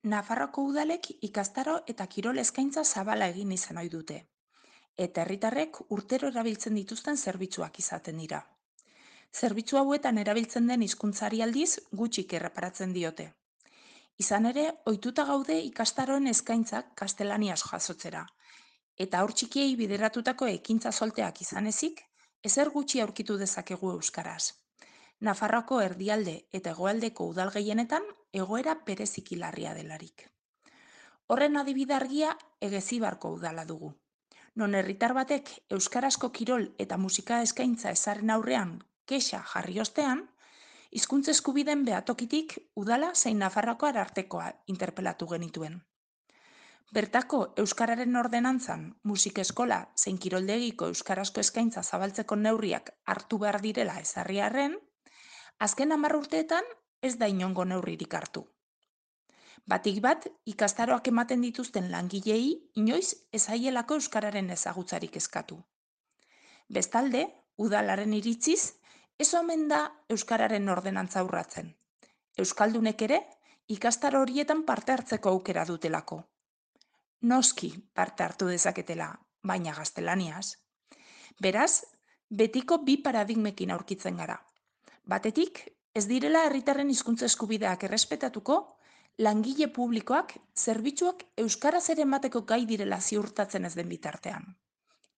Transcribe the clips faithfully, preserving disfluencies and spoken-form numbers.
Nafarroako udalek ikastaro eta kirol eskaintza zabala egin izan ohi dute, eta herritarrek urtero erabiltzen dituzten zerbitzuak izaten dira. Zerbitzu hauetan erabiltzen den hizkuntzari aldiz gutxik erreparatzen diote. Izan ere, ohituta gaude ikastaroen eskaintzak gaztelaniaz jasotzera, eta haur txikiei bideratutako ekintza solteak izan ezik, ezer gutxi aurkitu dezakegu euskaraz. Nafarroako erdialde eta hegoaldeko udal gehienetan egoera bereziki larria delarik. Horren adibide argia Egezibarko udala dugu. Non herritar batek euskarazko kirol eta musika eskaintza ezaren aurrean kexa jarri ostean, hizkuntza eskubideen behatokitik udala zein Nafarroako arartekoa interpelatu genituen. Bertako euskararen ordenantzan, musika eskola zein kiroldegiko euskarazko eskaintza zabaltzeko neurriak hartu behar direla ezarri arren, azken hamar urteetan ez da inongo neurririk hartu. Batik bat, ikastaroak ematen dituzten langileei inoiz ez zaielako euskararen ezagutzarik eskatu. Bestalde, udalaren iritziz, ez omen da euskararen ordenantza urratzen. Euskaldunek ere, ikastaro horietan parte hartzeko aukera dutelako. Noski parte hartu dezaketela, baina gaztelaniaz. Beraz, betiko bi paradigmekin aurkitzen gara. Batetik, ez direla herritarren hizkuntza eskubideak errespetatuko, langile publikoak zerbitzuak euskaraz ere emateko gai direla ziurtatzen ez den bitartean.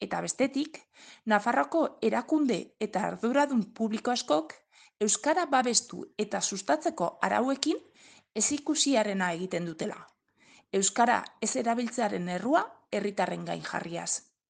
Eta bestetik, Nafarroako erakunde eta arduradun publiko askok euskara babestu eta sustatzeko arauekin ezikusiarena egiten dutela. Euskara ez erabiltzearen errua herritarren gain jarriaz.